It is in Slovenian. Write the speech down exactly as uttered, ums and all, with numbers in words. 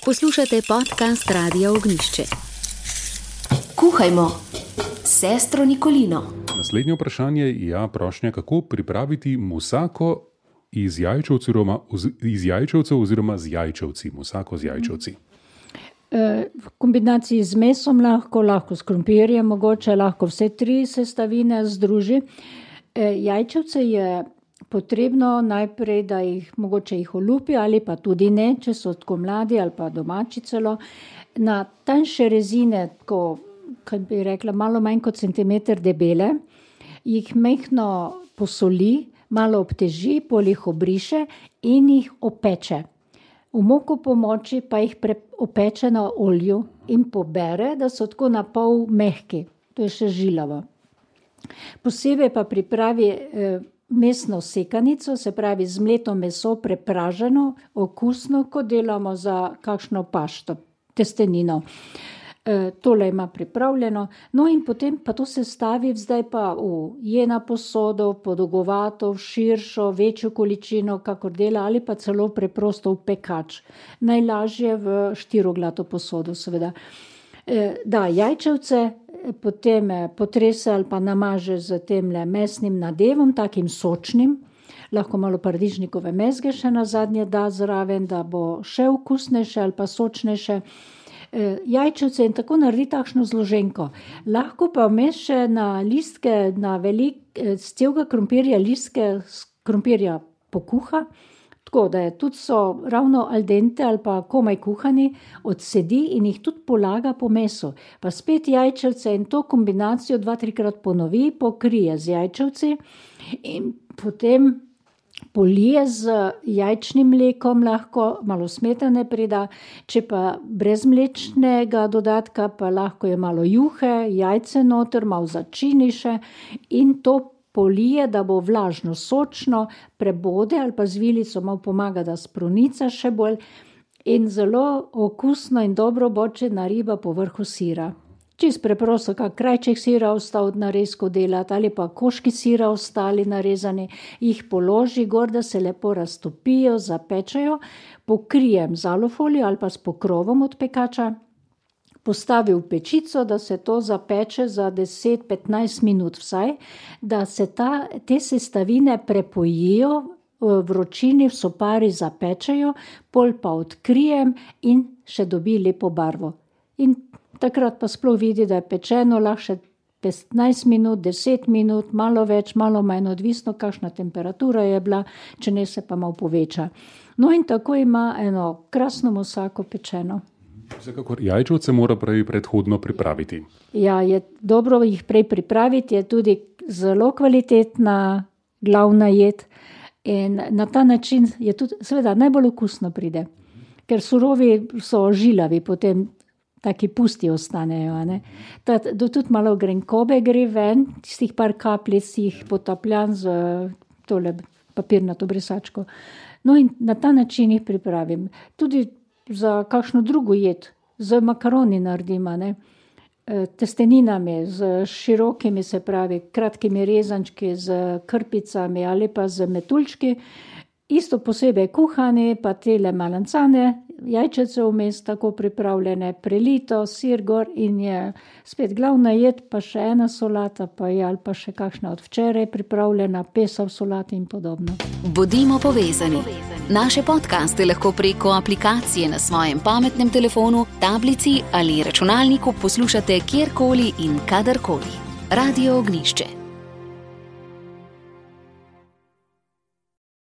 Poslušate podcast Radia Ognjišče. Kuhajmo s sestro Nikolino. Naslednje vprašanje je ja, prošnja, kako pripraviti musako iz jajčevcev oziroma, iz jajčevcev oziroma z jajčevci. Musako z jajčevci. V kombinaciji z mesom lahko, lahko s krompirjem, mogoče lahko vse tri sestavine združi. Jajčevce je potrebno najprej, da jih mogoče jih olupi ali pa tudi ne, če so tako mladi ali pa domači celo. Na tanjše rezine, ko, kaj bi rekla, malo manj kot centimeter debele, jih mehko posoli, malo obteži, pol jih obriše in jih opeče. V moko pomoči pa jih pre, opeče na olju in pobere, da so tako na pol mehki. To je še žilavo. Posebej pa pripravi eh, mesno sekanico, se pravi zmleto meso, prepraženo, okusno, kot delamo za kakšno pašto, testenino. E, tole ima pripravljeno. No in potem pa to se stavi zdaj pa v jena posodo, podolgovato, širšo, večjo količino, kakor dela, ali pa celo preprosto v pekač. Najlažje v štiroglato posodo, seveda. E, da, jajčevce potem potrese ali pa namaže z temle mesnim nadevom, takim sočnim, lahko malo paradižnikove mezge še na zadnje da zraven, da bo še okusnejše ali pa sočnejše. E, jajčevce in tako naredi takšno zloženko. Lahko pa vmes še na listke, na velik, z celega krompirja, listke krompirja pokuha, tako da je tudi so ravno al dente ali pa komaj kuhani, odsedi in jih tudi polaga po mesu. Pa spet jajčevce in to kombinacijo dva, trikrat ponovi, pokrije z jajčevci in potem polije z jajčnim mlekom, lahko malo smetane prida, če pa brez mlečnega dodatka, pa lahko je malo juhe, jajce noter, malo začini še in to polije, da bo vlažno, sočno, prebode ali pa z vilico malo pomaga, da sprunica še bolj in zelo okusno in dobro bočena riba po vrhu sira. Čist preprosto, kak krajček sira ostal narezko delati ali pa koški sira ostali narezani, jih položi gor, da se lepo raztopijo, zapečajo, pokrijem z alufolijo ali pa s pokrovom od pekača, postavi v pečico, da se to zapeče za deset do petnajst minut vsaj, da se ta, te sestavine prepojijo, v vročini v sopari zapečejo, pol pa odkrijem in še dobi lepo barvo. In takrat pa sploh vidi, da je pečeno, lahko še petnajst minut, deset minut, malo več, malo manj, odvisno, kakšna temperatura je bila, če ne se pa malo poveča. No in tako ima eno krasno musako pečeno. Vsekakor jajčevce mora prej predhodno pripraviti. Ja, je dobro jih prej pripraviti, je tudi zelo kvalitetna glavna jed in na ta način je tudi, seveda, najbolj okusno pride, ker surovi so žilavi, potem taki pusti ostanejo. Ne? Ta, do tudi malo grenkobe gre ven, tistih par kapljic jih potapljan z tole papirnato brisačko. No in na ta način jih pripravim. Tudi za kakšno drugo jed, z makaroni naredimo, ne? Testeninami, z širokimi, se pravi, kratkimi rezančki, z krpicami ali pa z metuljčki, isto posebej kuhani, pa tele malancane, jajčece vmes tako pripravljene, prelito, sir gor in je spet glavna jed, pa še ena solata, pa je ali pa še kakšna od včeraj pripravljena, pesav solata in podobno. Bodimo povezani. Naše podcaste lahko preko aplikacije na svojem pametnem telefonu, tablici ali računalniku poslušate kjerkoli in kadarkoli. Radio Ognjišče.